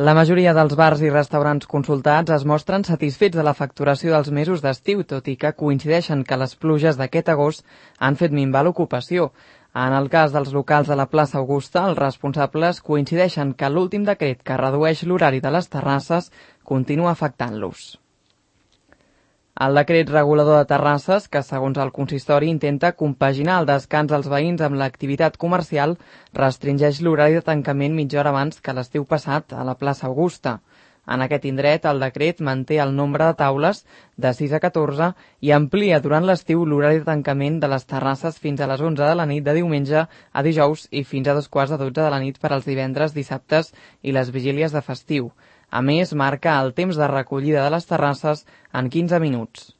La majoria dels bars i restaurants consultats es mostren satisfets de la facturació dels mesos d'estiu, tot i que coincideixen que les pluges d'aquest agost han fet minvar l'ocupació. En el cas dels locals de la plaça Augusta, els responsables coincideixen que l'últim decret que redueix l'horari de les terrasses continua afectant-los. El decret regulador de terrasses, que segons el consistori intenta compaginar el descans dels veïns amb l'activitat comercial, restringeix l'horari de tancament mitja hora abans que l'estiu passat a la plaça Augusta. En aquest indret, el decret manté el nombre de taules de 6 a 14 i amplia durant l'estiu l'horari de tancament de les terrasses fins a les 11 de la nit de diumenge a dijous i fins a 2:15 de la nit per als divendres, dissabtes i les vigílies de festiu. A més, marca el temps de recollida de les terrasses en 15 minuts.